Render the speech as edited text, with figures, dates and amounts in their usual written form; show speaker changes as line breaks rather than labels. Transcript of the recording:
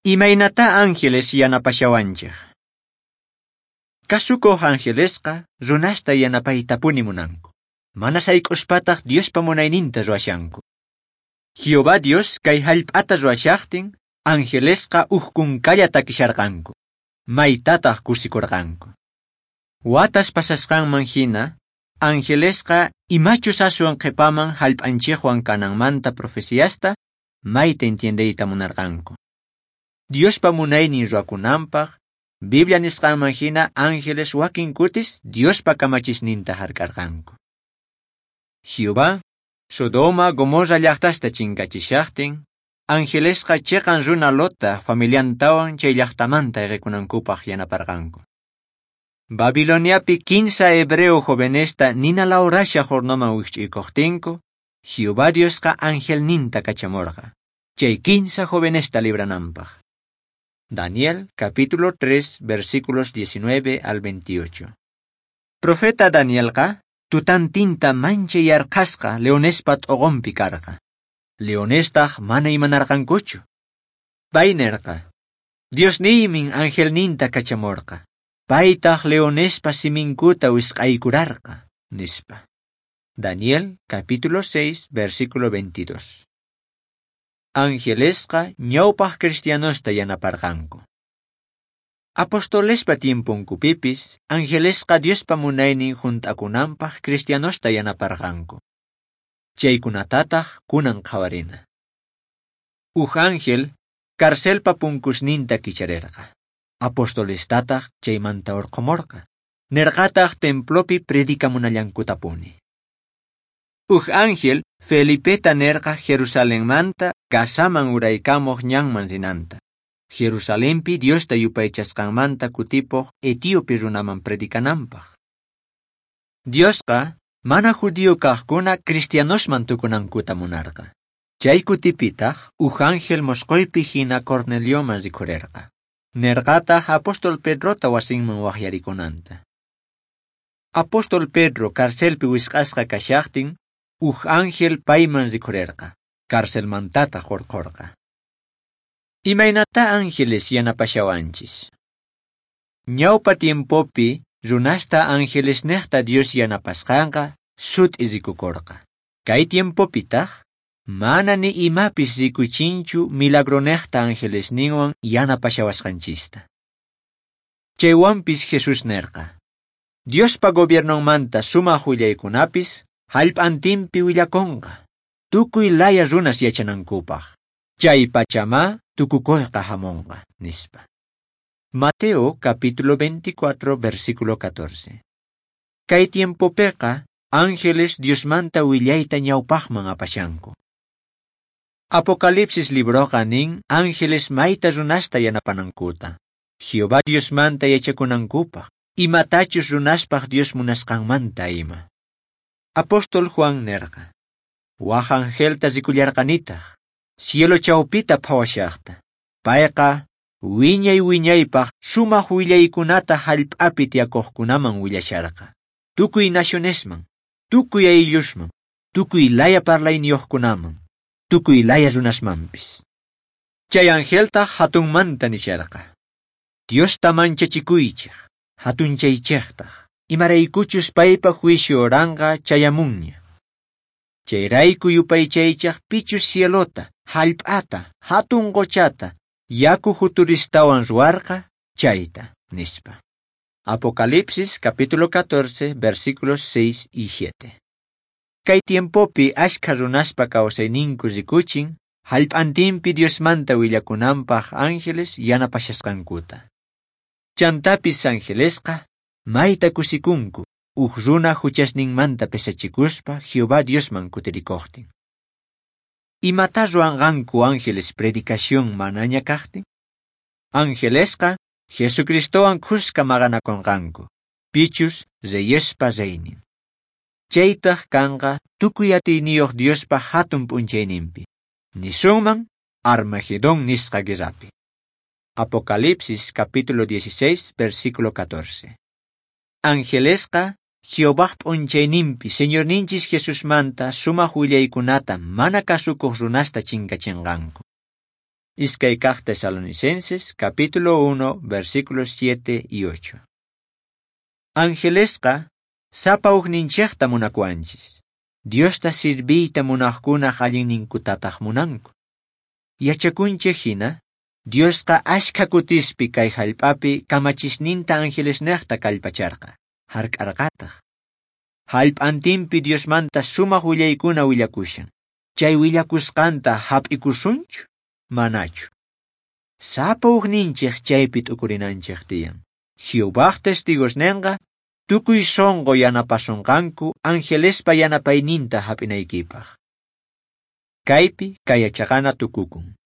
Imaynatá ángeles yanapashawanchik? Kasukuq angelesqa runasta yanapaytapuni munanku. Mana sayk'uspataq Diospa munayninta ruwashanku. Jehová Dios kay hallp'ata ruwashaqtin, angelesqa uj kunkalla takisharqanku. Maytataq kusikurqanku. Watas pasasqanman hina, angelesqa imachus aswan qhipaman hallp'anchikwan kananmanta profeciasta mayta entiendeyta munarqanku. Diospa munaynin ruwakunanpaq, Biblia nisqanman hina ángeles wakin kutis Diospa kamachisninta hark'arqanku. Jehová, Sodoma, Gomorra llaqtasta chinkachishaqtin, angelesqa chiqan runa Lotta familiantawan chay llaqtamanta ayqikunankupaq yanaparqanku. Babiloniapi 15 hebreo jovenesta nina lawrashaq hornoman wikch'uykuqtinku, Jehová Diosqa angelninta kachamurqa, chay 15 jovenesta librananpaq. Daniel capítulo 3 versículos 19 al 28. Profeta Danielqa tutantinta manchay yarqhasqa leonespa t'uqunpi karqa. Leonestaq mana imanarqankuchu. Pay nerqa: Diosniymin angelninta kachamurqa. Paytaq leonespa siminkuta wisq'aykurarqa, nispa. Daniel capítulo 6 versículo 22. Angelesqa ñawpaq cristianosta yanaparqanku. Apostolespa tiemponkupipis, angelesqa Diospa munaynin hunt'akunanpaq cristianosta yanaparqanku. Chaykunatataq kunan qhawarina. Uj ángel carcelpa punkusninta kicharirqa. Apostolestataq chaymanta urqhumurqa. Nirqataq templopi predicamunallankutapuni. Uj ángel Felipeta nerqa Jerusalenmanta Gazaman uraykamuq ñanman rinanta. Jerusalenpi Diosta yupaychasqanmanta kutipuq etíope runaman predicananpaq. Diosqa mana judío kaqkuna cristianosman tukunankuta munarqa. Chay kutipitaq uj ángel mosqoypi hina Cornelioman rikhurirqa. Nerqataq apóstol Pedrota wasinman waqyarikunanta. Apóstol Pedro carcelpi wisq'asqa kashaqtin, uj ángel payman rikhurirqa, carcelmantataq hurqurqa. Imaynatá ángeles yanapashawanchis? Ñawpa tiempopi runasta angelesnejta Dios yanapasqanqa sut'i rikukurqa. Kay tiempopitaq mana ni imapis rikuchinchu milagronejta angelesninwan yanapashawasqanchista. Chaywanpis Jesús nerqa: Diospa gobiernonmanta sumaq willaykunapis hallp'antinpi willakunqa, tukuy laya runas yachanankupaq. Chay pachama tukukuyqa hamunqa, nispa. Mateo capítulo 24 versículo 14. Kay tiempopiqa ángeles Diosmanta willayta ñawpaqman apashanku. Apocalipsis libroqa nin ángeles mayta runasta yanapanankuta, Jehová Diosmanta yachakunankupaq, imatachus runaspaq Dios munasqanmanta ima. Apóstol Juan nerqa: Waj angelta rikullarqanitaq, cielo chawpita phawashaqta. Payqa wiñay wiñaypaq sumaq willaykunata hallp'api tiyakuqkunaman willasharqa. Tukuy nacionesman, tukuy ayllusman, tukuy laya parlayniyuqkunaman, tukuy laya runasmanpis. Chay angeltaq hatunmanta nisharqa: Diosta manchachikuychik, hatunchaychiktaq, imaraykuchus paypa juicio horanqa chayamunña. Chayrayku yupaychaychaq pichus cielota, hallp'ata, hatun qochata, yaku juturistawan ruwarqa chayta, nispa. Apocalipsis capítulo 14 versículos 6 y 7. Kay tiempopi ashkha runaspa kawsayninku rikuchin, hallp'antinpi Diosmanta willakunanpaq ángeles yanapashasqankuta. Chantapis angelesqa mayta kusikunku, uj runa huchasninmanta pesachikuspa Jehová Diosman kutirikuqtin. Imatá ruwanqanku ángeles predicación manaña kaqtin? Angelesqa Jesucristowan khuska maqanakunqanku, pichus reyespa reynin. Chaytaq kanqa tukuy atiyniyuq Diospa hatun p'unchayninpi. Nisunman Armagedón nisqa guerrapi. Apocalipsis capítulo 16 versículo 14. Angelesqa Jehovaj p'unchayninpi Señorninchis Jesusmanta sumaq willaykunata mana kasukuq runasta chinkachinqanku. Iskay kaq Tesalonicenses, capítulo 1, versículos 7 y 8. Angelesqa sapa ujninchejta munakuanchis. Diosta sirviyta munaqkunaq allinninkutataq munanku. Yachakunchej hina, Diosqa ashkha kutispi kay hallp'api kamachisninta angelesnejta kallpacharqa, hark'arqataq. Hallp'antinpi Diosmanta sumaq willaykuna willakushan. Chay willakusqanta hap'ikusunchu? Manachu. Sapa ujninchej chaypi t'ukurinanchej tiyan. Jehovaj testigosnenqa tukuy sunqu yanapasonqanku angelespa yanapayninta hap'inaykipaq. Kaypi kay yachaqana tukukun.